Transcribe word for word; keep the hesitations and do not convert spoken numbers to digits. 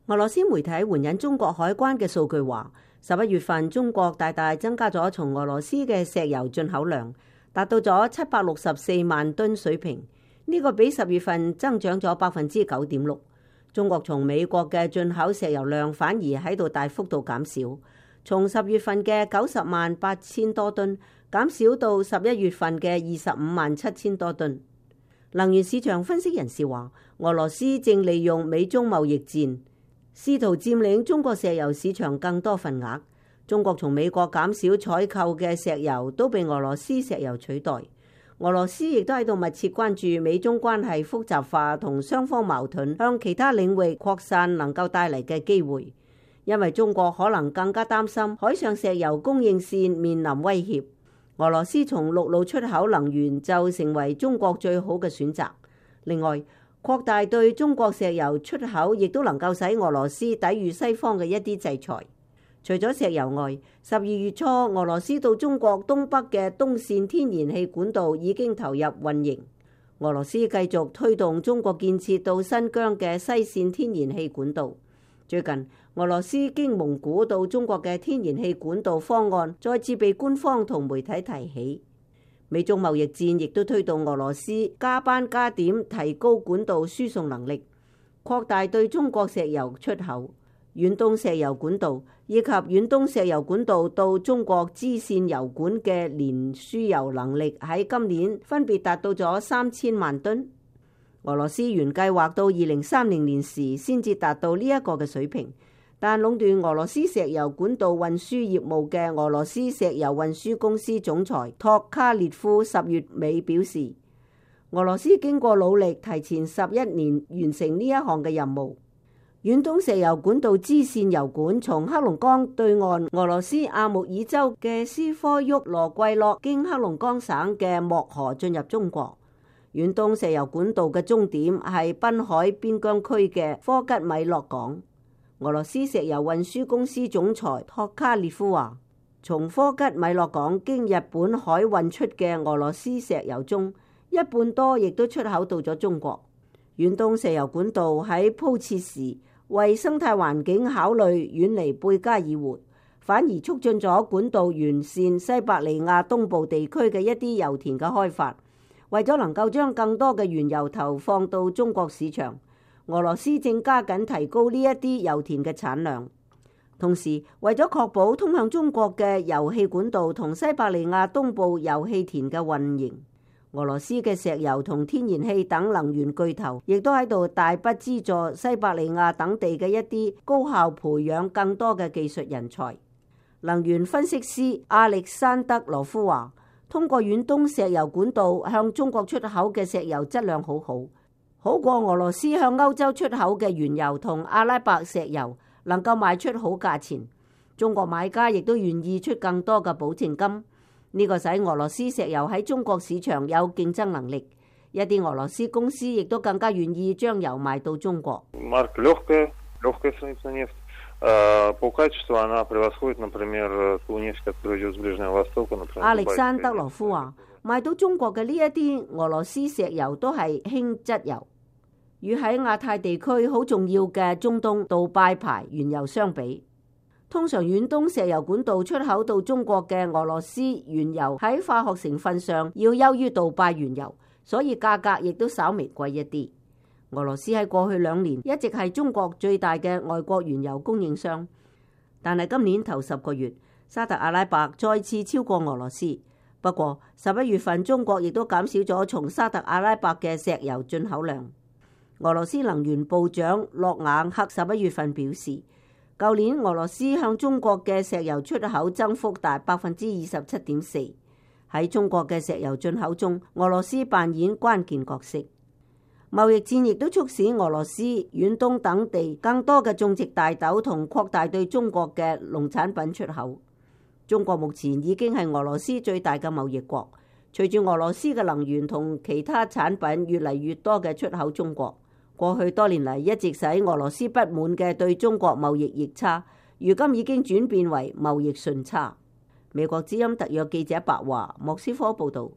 俄羅斯媒體援引中國海關嘅數據話，十一月份中國大大增加咗從俄羅斯嘅石油進口量，達到咗七百六十四萬噸水平，呢個比十月份增長咗百分之九點六。中國從美國嘅進口石油量反而喺度大幅度減少，從十月份嘅九十萬八千多噸減少到十一月份嘅二十五萬七千多噸。能源市場分析人士話，俄羅斯正利用美中貿易戰，試圖佔領中國石油市場更多份額。中國從美國減少採購嘅石油都被俄羅斯石油取代。俄羅斯亦都喺度密切關注美中關係複雜化同雙方矛盾向其他領域擴散能夠帶嚟嘅機會，因為中國可能更加擔心海上石油供應線面臨威脅。俄羅斯從陸路出口能源就成為中國最好嘅選擇。另外，擴大對中國石油出口亦都能夠使俄羅斯抵禦西方嘅一啲制裁。除咗石油外，十二月初俄羅斯到中國東北嘅東線天然氣管道已經投入運營。俄羅斯繼續推動中國建設到新疆嘅西線天然氣管道。最近，俄羅斯經蒙古到中國嘅天然氣管道方案再次被官方同媒體提起。美中貿易戰亦都推動俄羅斯加班加點提高管道輸送能力，擴大對中國石油出口。遠東石油管道以及遠東石油管道到中國支線油管嘅年輸油能力喺今年分別達到咗三千萬噸。俄羅斯原計劃到二零三零年時先至達到呢一個嘅水平，但壟斷俄羅斯石油管道運輸業務嘅俄羅斯石油運輸公司總裁托卡列夫十月尾表示，俄羅斯經過努力提前十一年完成呢一項嘅任務。遠東石油管道支線油管從黑龍江對岸俄羅斯阿穆爾州嘅斯科沃羅季諾經黑龍江省嘅漠河進入中國。遠東石油管道嘅終點係濱海邊疆區嘅科吉米諾港。俄羅斯石油運輸公司總裁托卡列夫話，從科吉米諾港經日本海運出嘅俄羅斯石油中，一半多亦都出口到咗中國。遠東石油管道喺鋪設時，為生態環境考慮遠離貝加爾湖，反而促進咗管道沿線西伯利亞東部地區嘅一啲油田嘅開發。為咗能夠將更多嘅原油投放到中國市場，俄羅斯正加緊提高呢一啲油田嘅產量。同時，為咗確保通向中國嘅油氣管道同西伯利亞東部油氣田嘅運營，俄羅斯嘅石油同天然氣等能源巨頭亦都喺度大筆資助西伯利亞等地嘅一啲高效培養更多嘅技術人才。能源分析師亞歷山德羅夫話，通過遠東石油管道向中國出口嘅石油質量好好，好過俄羅斯向歐洲出口嘅原油同阿拉伯石油能夠賣出好價錢。中國買家亦都願意出更多嘅保證金。呢個使俄羅斯石油喺中國市場有競爭能力，一啲俄羅斯公司亦都更加願意將油賣到中國。亞歷山德羅夫話，賣到中國嘅呢一啲俄羅斯石油都係輕質油，與喺亞太地區好重要嘅中東杜拜牌原油相比。通常遠東石油管道出口到中國嘅俄羅斯原油喺化學成分上要優於杜拜原油，所以價格亦都稍微貴一啲。俄羅斯喺過去兩年一直係中國最大嘅外國原油供應商，但係今年頭十個月，沙特阿拉伯再次超過俄羅斯。不過十一月份中國亦都減少咗從沙特阿拉伯嘅石油進口量。俄羅斯能源部長諾瓦克十一月份表示，舊年俄羅斯向中國嘅石油出口增幅達百分之二十七點四。喺中國嘅石油進口中，俄羅斯扮演關鍵角色。貿易戰亦都促使俄羅斯、遠東等地更多嘅種植大豆同擴大對中國嘅農產品出口。中國目前已經係俄羅斯最大嘅貿易國，隨住俄羅斯嘅能源同其他產品越嚟越多嘅出口中國。過去多年嚟一直使俄羅斯不滿嘅對中國貿易逆差，如今已經轉變為貿易順差。美國之音特約記者白華莫斯科報道。